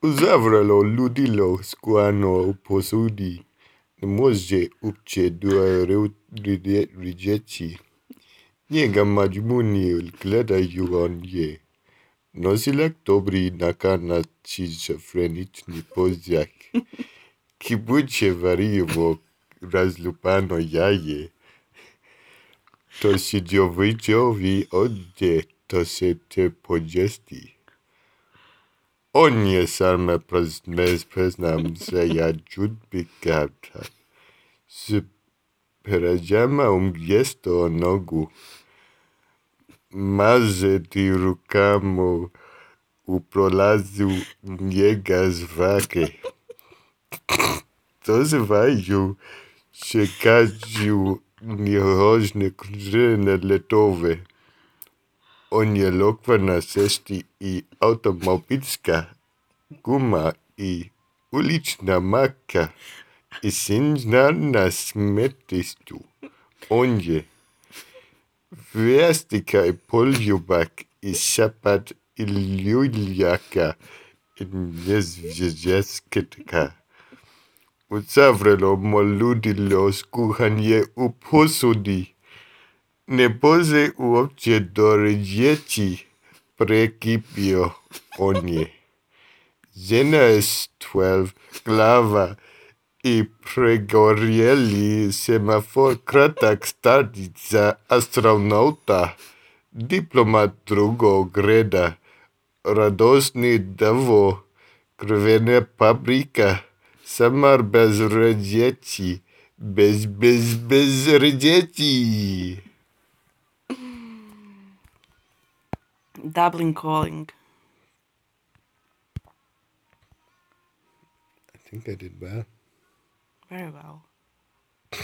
Uzavrelo ludilo squano posudi, moje upche dua ridieci. Niega majmuni gleda yugon ye. Nosilek dobri nakana schizophreniczny poziak. Kibuche varivo razlupano jaje. To sidziowiciowi odde to se te pogesti. Ogni salme preznam se ja giudicata. Se peragema gesto nogu. Maze ti rucamo uprolazu niegas vaque. To se vaju čekaću njehožne kružene letove. On je lokvana cesti i automobilska guma i ulična maka i sinžna na smetištu. On je vestika i poljubak i šapat i ljuljaka i njezvježesketka. Uzavrelo moludilo skuhanje u posudi. Ne bože uopće do riječi prekipio on je. Žena je 12 glava i pregorjeli semafor kratak stati za astronauta, diplomat drugog reda, radosni davo, krvene paprika, samar bez riječi, bez riječi. Dublin Calling. I think I did well. Very well.